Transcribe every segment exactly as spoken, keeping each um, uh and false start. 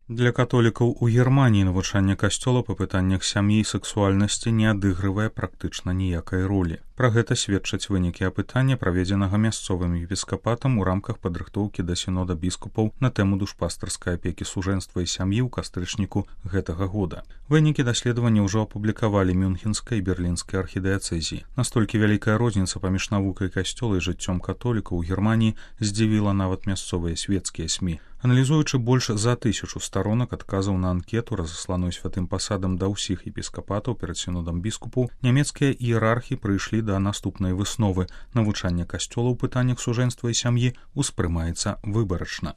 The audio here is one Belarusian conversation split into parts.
Для католікаў у Германіі навучанне касцёла па пытаннях сям'і і сексуальнасці не адыгрывае практычна ніякай ролі. Пра гэта сведчаць вынікі апытання, праведзенага мясцовым епіскапатам у рамках падрыхтоўкі да сінода біскупаў на тэму душпастарскай апекі сужэнства і сям'і ў кастрычніку гэтага года. Вынікі даследавання ўжо апублікавалі мюнхенскай і берлінскай архідыяцэзіі. Настолькі вялікая розніца паміж навукай касцёла і жыццём католікаў у Германіі здзівіла нават мясцовыя свецкія СМІ. Аналізуючы больш за тысячу сторонак адказаў на анкету, разасланую святым пасадам да ўсіх епіскапатаў перад сінодам біскупаў, нямецкія іерархі прыйшлі да наступнай высновы: навучанне касцёла ў пытаннях сужэнства і сям'і успрымаецца выбарачна.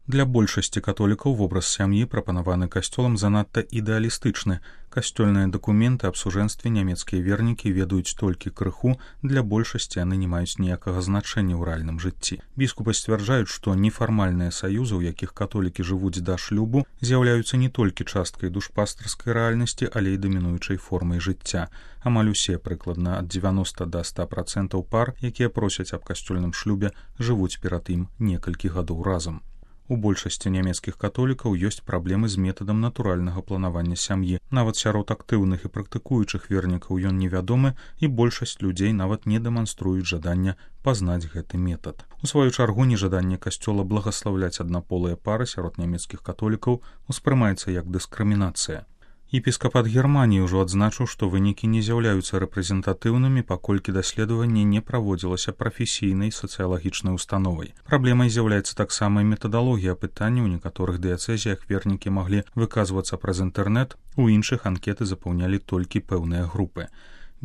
Для большасці католікаў вобраз сям'і, прапанаваны касцёлам, занадта ідэалістычны. Касцёльныя дакументы аб сужэнстве нямецкія вернікі ведаюць толькі крыху, для большасці яны не маюць ніякага значэння ў рэальным жыцці. Біскупы сцвярджаюць, што нефармальныя саюзы, у якіх католікі жывуць да шлюбу, з'яўляюцца не толькі часткай душпастарскай рэальнасці, але і дамінуючай формай жыцця. Амаль усе, прыкладна ад дзевяноста да ста працэнтаў пар, якія просяць аб касцёльным шлюбе, жывуць перад ім некалькі гадоў разам. У большасці нямецкіх католікаў ёсць праблемы з метадам натуральнага планавання сям'і. Нават сярод актыўных і практыкуючых вернікаў ён невядомы, і большасць людзей нават не дэманструюць жадання пазнаць гэты метад. У сваю чаргу, нежаданне касцёла благаслаўляць аднаполыя пары сярод нямецкіх католікаў успрымаецца як дыскрымінацыя. Епіскапат Германіі ўжо адзначыў, што вынікі не з'яўляюцца рэпрэзентатыўнымі, паколькі даследаванне не праводзілася прафесійнай сацыялагічнай установай. Праблемай з'яўляецца таксама і метадалогія апытання. У некаторых дыяцэзіях вернікі маглі выказвацца праз інтэрнэт, у іншых анкеты запаўнялі толькі пэўныя групы.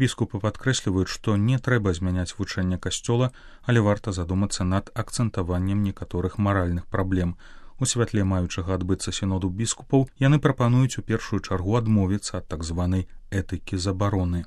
Біскупы падкрэсліваюць, што не трэба змяняць вучэнне касцёла, але варта задумацца над акцэнтаваннем некаторых маральных праблем. У святле маючага адбыцца сіноду біскупаў яны прапануюць у першую чаргу адмовіцца ад так званай этыкі забароны.